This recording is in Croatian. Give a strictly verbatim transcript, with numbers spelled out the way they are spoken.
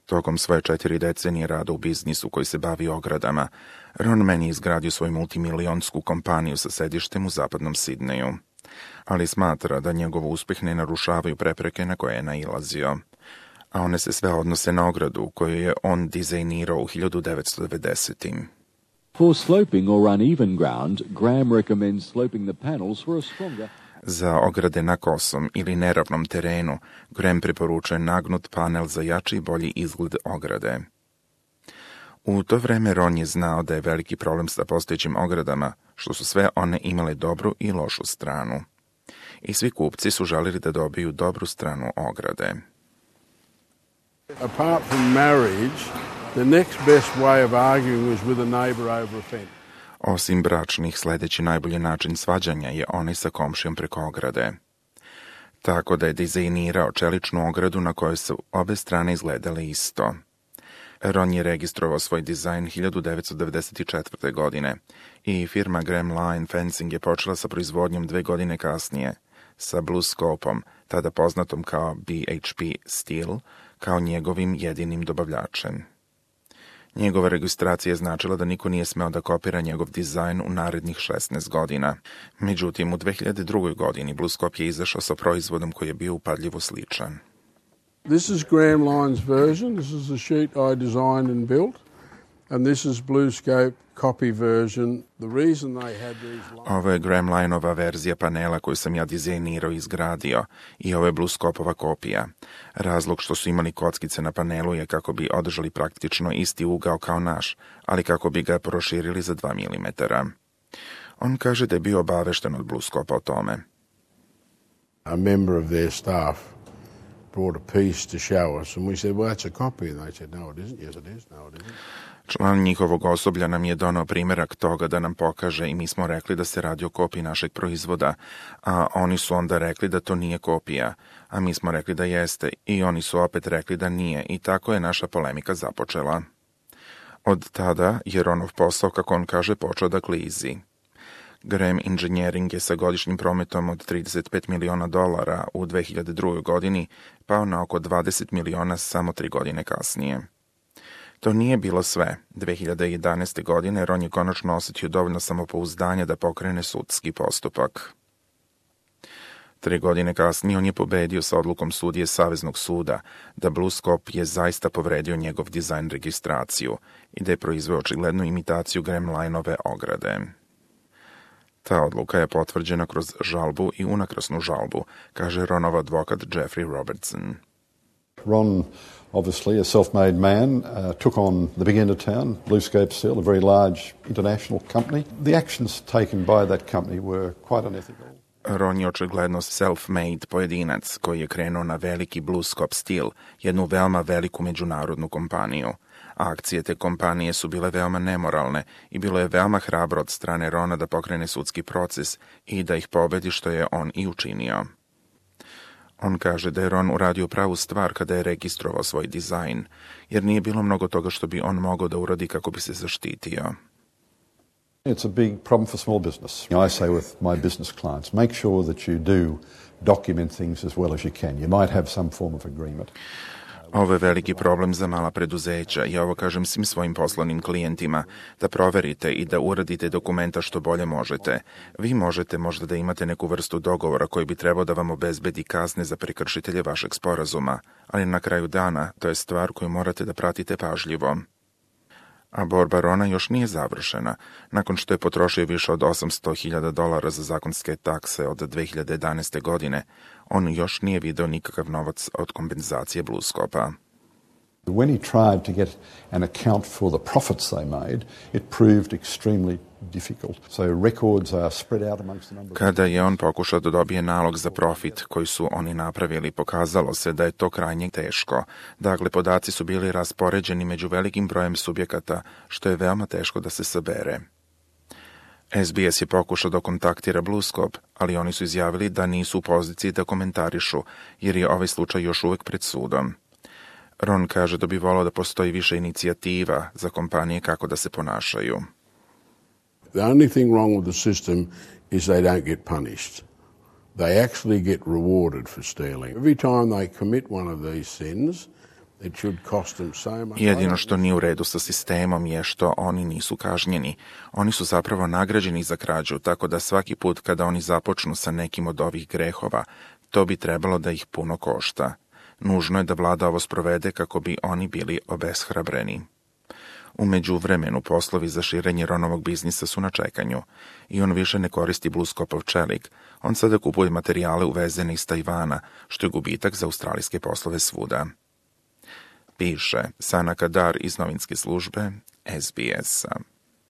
Tokom svoje četiri decenije rada u biznisu koji se bavi ogradama, Ron Man je izgradio svoju multimilionsku kompaniju sa sedištem u zapadnom Sidneju. Ali smatra da njegov uspeh ne narušavaju prepreke na koje je nailazio, a one se sve odnose na ogradu koju je on dizajnirao u hiljadu devetsto devedesetim. For sloping or uneven ground, Graham recommends sloping the panels for a stronger... Za ograde na kosom ili neravnom terenu, Graham preporučuje nagnut panel za jači i bolji izgled ograde. U to vreme Ron je znao da je veliki problem sa postojećim ogradama, što su sve one imale dobru i lošu stranu. I svi kupci su želili da dobiju dobru stranu ograde. Apart from marriage, the next best way of arguing was with a neighbor over a fence. Osim bračnih, sledeći najbolji način svađanja je onaj sa komšijom preko ograde. Tako da je dizajnirao čeličnu ogradu na kojoj su obe strane izgledale isto. Ron je registrovao svoj dizajn hiljadu devetsto devedeset četvrte. godine i firma Graham Line Fencing je počela sa proizvodnjom dve godine kasnije, sa BlueScope-om, tada poznatom kao B H P Steel, kao njegovim jedinim dobavljačem. Njegova registracija je značila da niko nije smeo da kopira njegov dizajn u narednih šesnaest godina. Međutim, u dve hiljade drugoj. godini BlueScope je izašao sa proizvodom koji je bio upadljivo sličan. This is Graham Line's version. This is the sheet I designed and built. And this is BlueScope copy version. The reason they had these lines... Ovo je Graham Lineova verzija panela koju sam ja dizajnirao i izgradio i ovo je BlueScopeova kopija. Razlog što su imali kockice na panelu je kako bi održali praktično isti ugao kao naš, ali kako bi ga proširili za dva milimetra. On kaže da je bio obavešten od BlueScope o tome. A member of their staff brought a piece to show us and we said, well, that's a copy. And they said, no, it isn't. Yes, it is. No, it isn't. Član njihovog osoblja nam je donao primjerak toga da nam pokaže i mi smo rekli da se radi o kopiji našeg proizvoda, a oni su onda rekli da to nije kopija, a mi smo rekli da jeste i oni su opet rekli da nije i tako je naša polemika započela. Od tada je Ronov posao, kako on kaže, počeo da klizi. Graham Engineering je sa godišnjim prometom od trideset pet miliona dolara u dve hiljade drugoj. godini pao na oko dvadeset miliona samo tri godine kasnije. To nije bilo sve. dve hiljade jedanaeste. godine Ron je konačno osetio dovoljno samopouzdanja da pokrene sudski postupak. Tri godine kasnije on je pobedio sa odlukom sudije Saveznog suda da BlueScope je zaista povredio njegov dizajn registraciju i da je proizveo očiglednu imitaciju Graham Lineove ograde. Ta odluka je potvrđena kroz žalbu i unakrasnu žalbu, kaže Ronov advokat Jeffrey Robertson. Ron, obviously a self-made man, uh, took on the big end of town, BlueScope Steel, a very large international company. The actions taken by that company were quite unethical. Ron je očigledno self-made pojedinac koji je krenuo na veliki BlueScope Steel, jednu veoma veliku međunarodnu kompaniju. Akcije te kompanije su bile veoma nemoralne i bilo je veoma hrabro od strane Rona da pokrene sudski proces i da ih pobedi, što je on i učinio. On kaže da je Ron uradio pravu stvar kada je registrovao svoj dizajn, jer nije bilo mnogo toga što bi on mogao da uradi kako bi se zaštitio. It's a big problem for small business. I say with my business clients, make sure that you do document things as well as you can. You might have some form of agreement. Ovo je veliki problem za mala preduzeća. Ja ovo kažem svim svojim poslovnim klijentima, da proverite i da uradite dokumenta što bolje možete. Vi možete možda da imate neku vrstu dogovora koji bi trebao da vam obezbedi kazne za prekršitelje vašeg sporazuma, ali na kraju dana to je stvar koju morate da pratite pažljivo. A borba Rona još nije završena. Nakon što je potrošio više od osamsto hiljada dolara za zakonske takse od dve hiljade jedanaeste. godine, on još nije video nikakav novac od kompenzacije BlueScope-a. When he tried to get an account for the profits they made, it proved extremely difficult. So records are spread out amongst the number. Kada je on pokušao da dobije nalog za profit koji su oni napravili, pokazalo se da je to krajnje teško. Dakle, podaci su bili raspoređeni među velikim brojem subjekata, što je veoma teško da se sabere. S B S je pokušao da kontaktira BlueScope, ali oni su izjavili da nisu u poziciji da komentarišu, jer je ovaj slučaj još uvek pred sudom. Ron kaže da bi volao da postoji više inicijativa za kompanije kako da se ponašaju. The only thing wrong with the system is they don't get punished. They actually get rewarded for stealing. Every time they commit one of these sins, It should cost them so much. Jedino što nije u redu sa sistemom je što oni nisu kažnjeni. Oni su zapravo nagrađeni za krađu, tako da svaki put kada oni započnu sa nekim od ovih grehova, to bi trebalo da ih puno košta. Nužno je da vlada ovo sprovede kako bi oni bili obeshrabreni. U međuvremenu poslovi za širenje Ronovog biznisa su na čekanju i on više ne koristi blueskopov čelik. On sada kupuje materijale uvezene iz Tajvana, što je gubitak za australijske poslove svuda. Piše Sana Kadar iz novinske službe S B S-a.